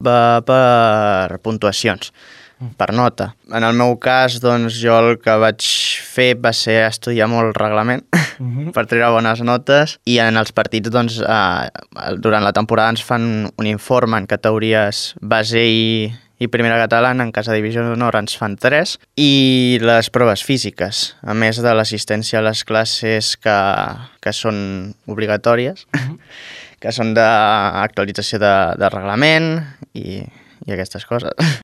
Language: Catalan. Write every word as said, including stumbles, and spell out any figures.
va per puntuacions, per nota. En el meu cas, doncs, jo el que vaig fer va ser estudiar molt reglament uh-huh. per treure bones notes, i en els partits, doncs, eh, durant la temporada ens fan un informe en categories base i, i primera catalana, en cas de divisió d'honor ens fan tres, i les proves físiques, a més de l'assistència a les classes que, que són obligatòries, uh-huh. que són d'actualització de, de reglament i, i aquestes coses.